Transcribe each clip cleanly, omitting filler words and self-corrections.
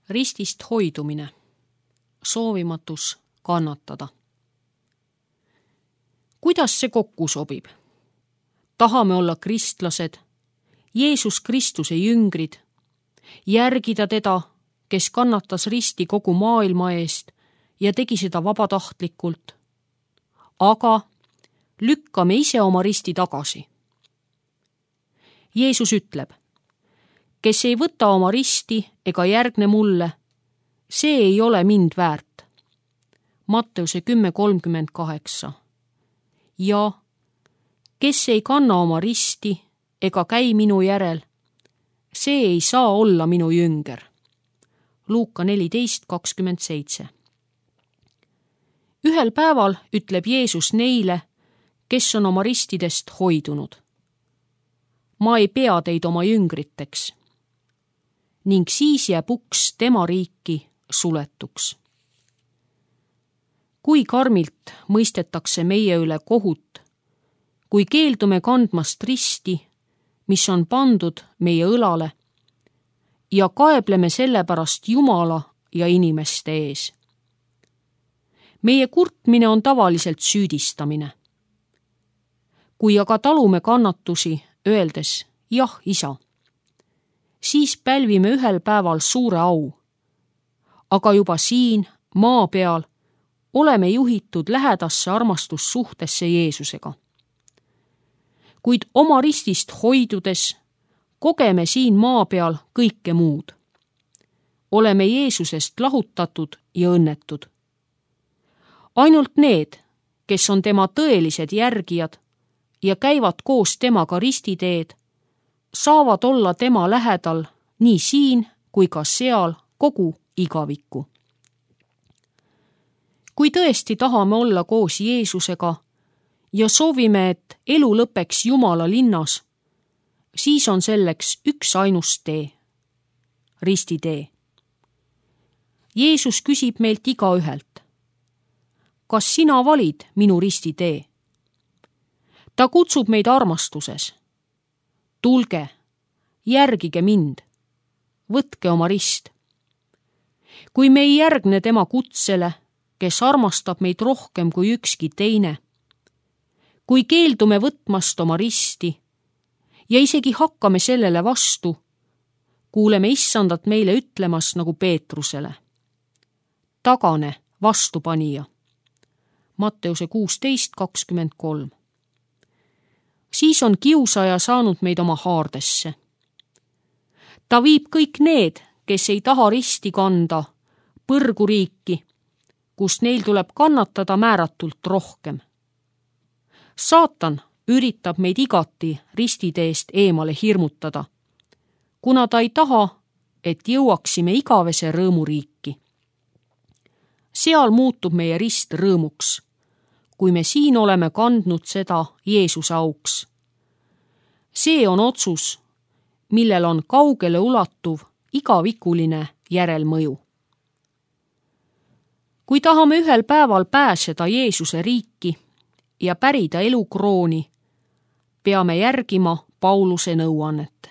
Ristist hoidumine, soovimatus kannatada. Kuidas see kokku sobib? Tahame olla kristlased, Jeesus Kristuse jüngrid, järgida teda, kes kannatas risti kogu maailma eest ja tegi seda vabatahtlikult. Aga lükkame ise oma risti tagasi. Jeesus ütleb, kes ei võta oma risti ega järgne mulle, see ei ole mind väärt. Matteuse 10:38. Ja kes ei kanna oma risti ega käi minu järel, see ei saa olla minu jünger. Luuka 14:27. Ühel päeval ütleb Jeesus neile, kes on oma ristidest hoidunud. Ma ei pea teid oma jüngriteks. Ning siis jääb uks tema riiki suletuks. Kui karmilt mõistetakse meie üle kohut, kui keeldume kandmast risti, mis on pandud meie õlale, ja kaebleme selle pärast Jumala ja inimeste ees. Meie kurtmine on tavaliselt süüdistamine. Kui aga talume kannatusi, öeldes jah, isa, siis pälvime ühel päeval suure au. Aga juba siin, maa peal, oleme juhitud lähedasse armastussuhtesse Jeesusega. Kuid oma ristist hoidudes kogeme siin maa peal kõike muud. Oleme Jeesusest lahutatud ja õnnetud. Ainult need, kes on tema tõelised järgijad ja käivad koos temaga ristiteed, saavad olla tema lähedal nii siin kui ka seal kogu igavikku. Kui tõesti tahame olla koos Jeesusega ja soovime, et elu lõpeks Jumala linnas, siis on selleks üks ainus tee, ristitee. Jeesus küsib meilt igaühelt, kas sina valid minu ristitee? Ta kutsub meid armastuses. Tulge, järgige mind, võtke oma rist. Kui me ei järgne tema kutsele, kes armastab meid rohkem kui ükski teine, kui keeldume võtmast oma risti ja isegi hakkame sellele vastu, kuuleme issandat meile ütlemas nagu Peetrusele. Tagane, vastupanija. Matteuse 16:23. Siis on kiusaja saanud meid oma haardesse. Ta viib kõik need, kes ei taha risti kanda, põrguriiki, kus neil tuleb kannatada määratult rohkem. Saatan üritab meid igati ristiteest eemale hirmutada, kuna ta ei taha, et jõuaksime igavese rõõmuriiki. Seal muutub meie rist rõõmuks, kui me siin oleme kandnud seda Jeesuse auks. See on otsus, millel on kaugele ulatuv igavikuline järelmõju. Kui tahame ühel päeval pääseda Jeesuse riiki ja pärida elukrooni, peame järgima Pauluse nõuannet.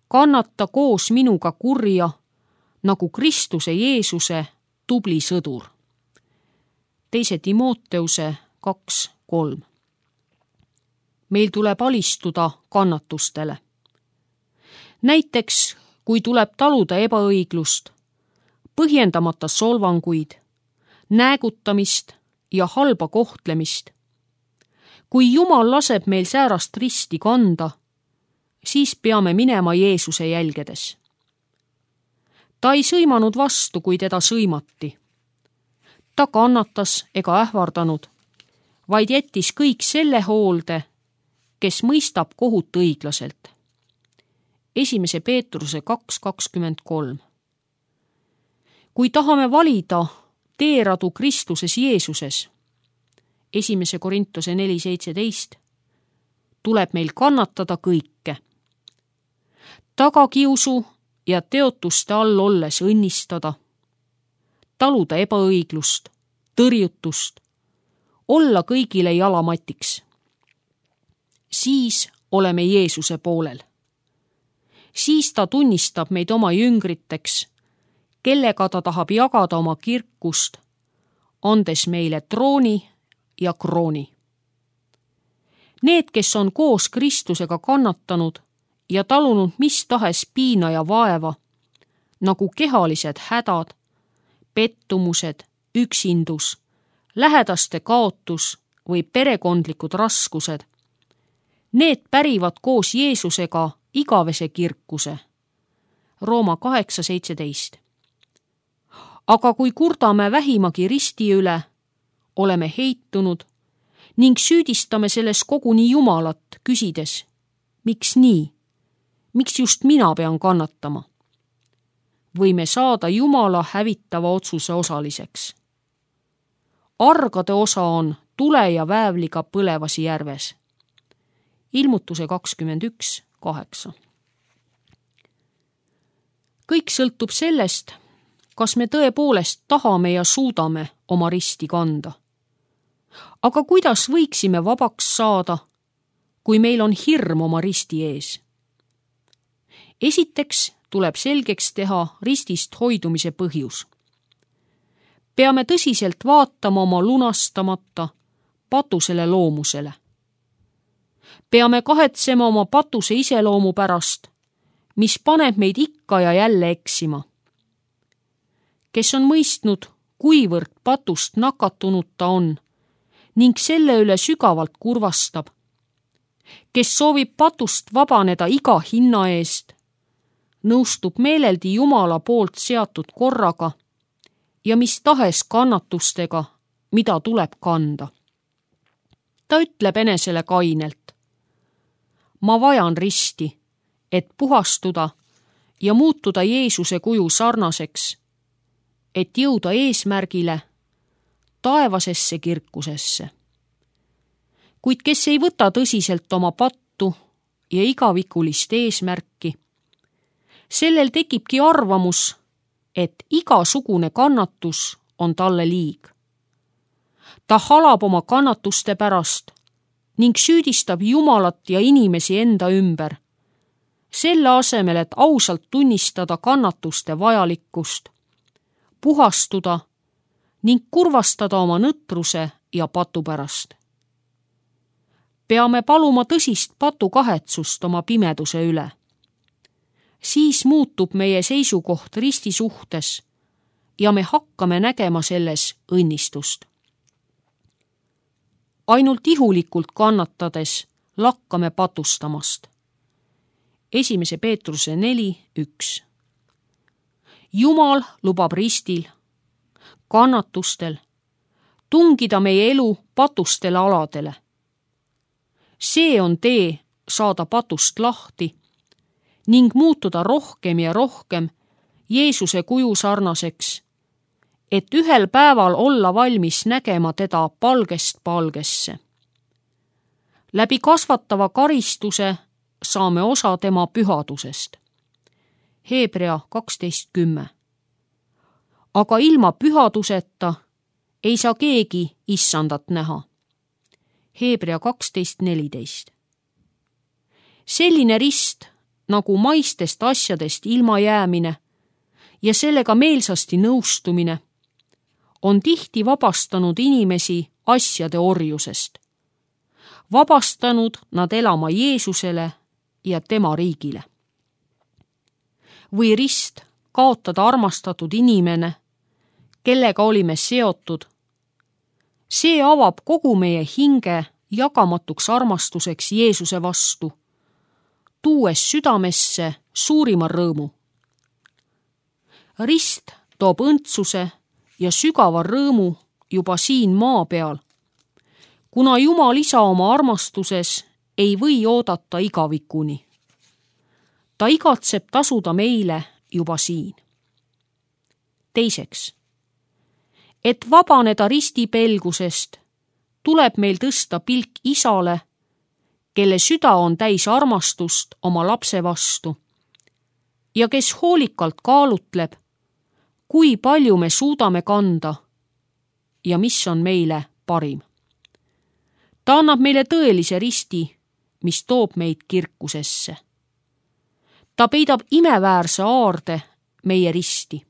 Kannata koos minuga kurja nagu Kristuse Jeesuse tubli sõdur. 2. Timoteuse 2:3. Meil tuleb alistuda kannatustele. Näiteks, kui tuleb taluda ebaõiglust, põhjendamata solvanguid, näägutamist ja halba kohtlemist. Kui Jumal laseb meil säärast risti kanda, siis peame minema Jeesuse jälgedes. Ta ei sõimanud vastu, kui teda sõimati. Ta kannatas ega ähvardanud, vaid jättis kõik selle hoolde, kes mõistab kohut õiglaselt. 1. Peetruse 2:23. Kui tahame valida teeradu Kristuses Jeesuses, 1. Korintuse 4:17, tuleb meil kannatada kõike. Tagakiusu ja teotuste all olles õnnistada, taluda ebaõiglust, tõrjutust, olla kõigile jalamatiks. Siis oleme Jeesuse poolel. Siis ta tunnistab meid oma jüngriteks kellega ta tahab jagada oma kirkust, andes meile trooni ja krooni. Need, kes on koos Kristusega kannatanud ja talunud mis tahes piina ja vaeva, nagu kehalised hädad, pettumused, üksindus, lähedaste kaotus või perekondlikud raskused, need pärivad koos Jeesusega igavese kirkuse. Rooma 8:17. Aga kui kurdame vähimagi risti üle, oleme heitunud ning süüdistame selles koguni Jumalat, küsides, miks nii? Miks just mina pean kannatama? Võime saada Jumala hävitava otsuse osaliseks. Argade osa on tule ja väävliga põlevas järves. Ilmutuse 21:8. Kõik sõltub sellest, kas me tõepoolest tahame ja suudame oma risti kanda. Aga kuidas võiksime vabaks saada, kui meil on hirm oma risti ees? Esiteks tuleb selgeks teha ristist hoidumise põhjus. Peame tõsiselt vaatama oma lunastamata patusele loomusele. Peame kahetsema oma patuse iseloomu pärast, mis paneb meid ikka ja jälle eksima. Kes on mõistnud, kuivõrd patust nakatunud ta on ning selle üle sügavalt kurvastab. Kes soovib patust vabaneda iga hinna eest, nõustub meeleldi Jumala poolt seatud korraga ja mis tahes kannatustega, mida tuleb kanda. Ta ütleb enesele kainelt: ma vajan risti, et puhastuda ja muutuda Jeesuse kuju sarnaseks, et jõuda eesmärgile, taevasesse kirkusesse. Kuid kes ei võta tõsiselt oma pattu ja igavikulist eesmärki, sellel tekibki arvamus, et igasugune kannatus on talle liig. Ta halab oma kannatuste pärast ning süüdistab Jumalat ja inimesi enda ümber, selle asemel, et ausalt tunnistada kannatuste vajalikkust, puhastuda ning kurvastada oma nõtruse ja patu pärast. Peame paluma tõsist patukahetsust oma pimeduse üle. Siis muutub meie seisukoht risti suhtes ja me hakkame nägema selles õnnistust. Ainult ihulikult kannatades lakkame patustamast. 1. Peetruse 4:1. Jumal lubab ristil, kannatustel, tungida meie elu patustele aladele. See on tee saada patust lahti ning muutuda rohkem ja rohkem Jeesuse kuju sarnaseks, et ühel päeval olla valmis nägema teda palgest palgesse. Läbi kasvatava karistuse saame osa tema pühadusest. Hebrea 12:10. Aga ilma pühaduseta ei saa keegi issandat näha. Hebrea 12:14. Selline rist nagu maistest asjadest ilmajäämine ja sellega meelsasti nõustumine on tihti vabastanud inimesi asjade orjusest. Vabastanud nad elama Jeesusele ja tema riigile. Või rist kaotada armastatud inimene, kellega olime seotud. See avab kogu meie hinge jagamatuks armastuseks Jeesuse vastu, tuues südamesse suurima rõõmu. Rist toob õndsuse ja sügava rõõmu juba siin maa peal, kuna Jumal Isa oma armastuses ei või oodata igavikuni. Ta igatseb tasuda meile juba siin. Teiseks, et vabaneda ristipelgusest, tuleb meil tõsta pilk Isale, kelle süda on täis armastust oma lapse vastu ja kes hoolikalt kaalutleb, kui palju me suudame kanda ja mis on meile parim. Ta annab meile tõelise risti, mis toob meid kirkusesse. Ta peidab imeväärse aarde meie risti,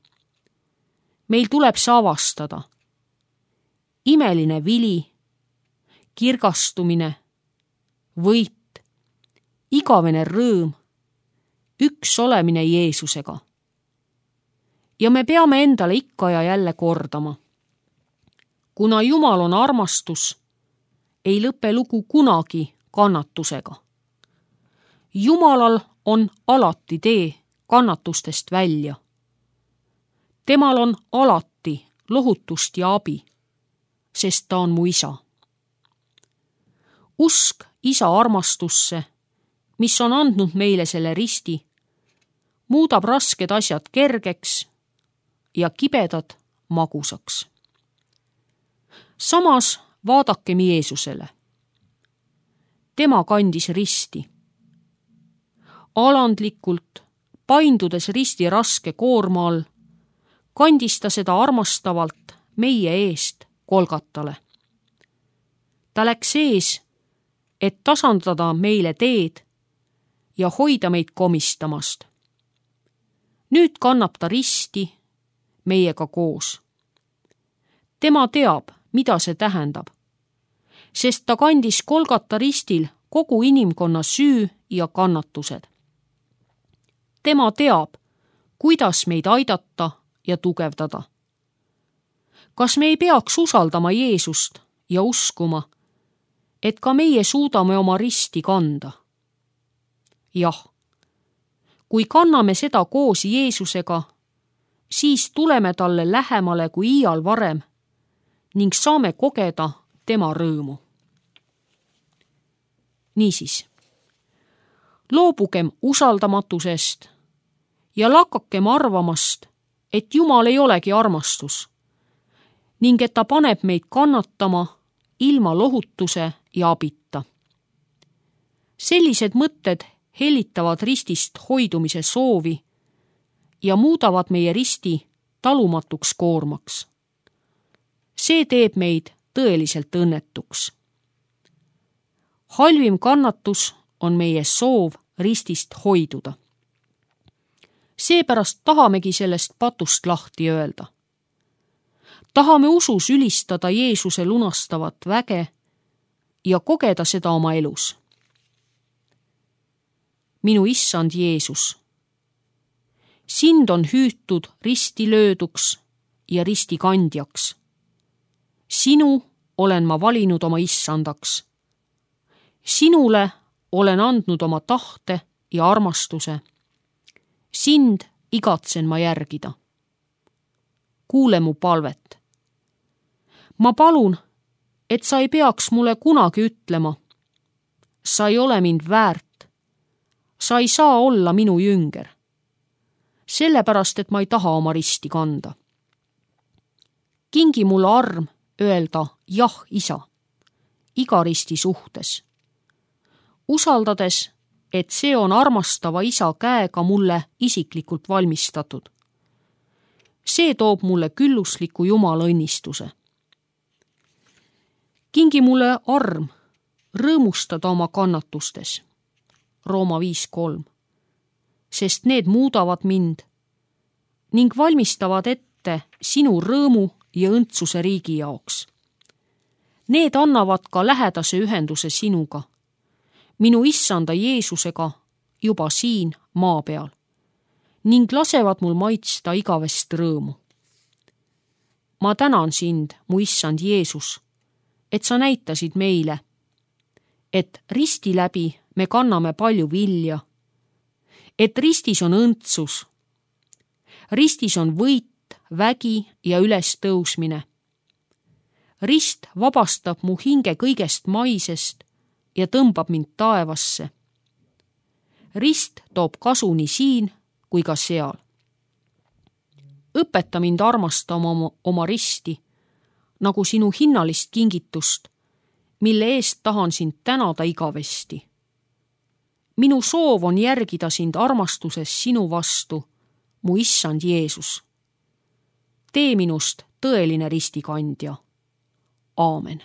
meil tuleb see avastada. Imeline vili, kirgastumine, võit, igavene rõõm, üks olemine Jeesusega. Ja me peame endale ikka ja jälle kordama. Kuna Jumal on armastus, ei lõpe lugu kunagi kannatusega. Jumalal on alati tee kannatustest välja. Temal on alati lohutust ja abi, sest ta on mu isa. Usk isa armastusse, mis on andnud meile selle risti, muudab rasked asjad kergeks ja kibedad magusaks. Samas vaadakem Jeesusele. Tema kandis risti. Alandlikult, paindudes risti raske koorma all, kandis ta seda armastavalt meie eest Golgatale. Ta läks ees, et tasandada meile teed ja hoida meid komistamast. Nüüd kannab ta risti meiega koos. Tema teab, mida see tähendab, sest ta kandis Golgata ristil kogu inimkonna süü ja kannatused. Tema teab, kuidas meid aidata ja tugevdada. Kas me ei peaks usaldama Jeesust ja uskuma, et ka meie suudame oma risti kanda? Jah, kui kanname seda koos Jeesusega, siis tuleme talle lähemale kui iial varem ning saame kogeda tema rõõmu. Niisiis, loobugem usaldamatusest ja lakakem arvamast, et Jumal ei olegi armastus ning et ta paneb meid kannatama ilma lohutuse ja abita. Sellised mõtted hellitavad ristist hoidumise soovi ja muudavad meie risti talumatuks koormaks. See teeb meid tõeliselt õnnetuks. Halvim kannatus on meie soov ristist hoiduda. Seepärast tahamegi sellest patust lahti öelda. Tahame usus ülistada Jeesuse lunastavat väge ja kogeda seda oma elus. Minu issand Jeesus, sind on hüütud risti lööduks ja risti kandjaks. Sinu olen ma valinud oma issandaks. Sinule olen andnud oma tahte ja armastuse. Sind igatsen ma järgida. Kuule mu palvet. Ma palun, et sa ei peaks mulle kunagi ütlema. Sa ei ole mind väärt. Sa ei saa olla minu jünger. Sellepärast, et ma ei taha oma risti kanda. Kingi mulle arm öelda jah, isa, iga risti suhtes. Usaldades, et see on armastava isa käega mulle isiklikult valmistatud. See toob mulle küllusliku Jumala õnnistuse. Kingi mulle arm rõõmustada oma kannatustes. Rooma 5:3. Sest need muudavad mind ning valmistavad ette sinu rõõmu ja õndsuse riigi jaoks. Need annavad ka lähedase ühenduse sinuga, minu issanda Jeesusega juba siin maa peal ning lasevad mul maitsta igavest rõõmu. Ma tänan sind, mu issand Jeesus, et sa näitasid meile, et risti läbi me kanname palju vilja, et ristis on õndsus, ristis on võit, vägi ja ülestõusmine. Rist vabastab mu hinge kõigest maisest ja tõmbab mind taevasse. Rist toob kasu nii siin kui ka seal. Õpeta mind armastama oma risti, nagu sinu hinnalist kingitust, mille eest tahan sind tänada igavesti. Minu soov on järgida sind armastuses sinu vastu, mu issand Jeesus. Tee minust tõeline ristikandja. Aamen.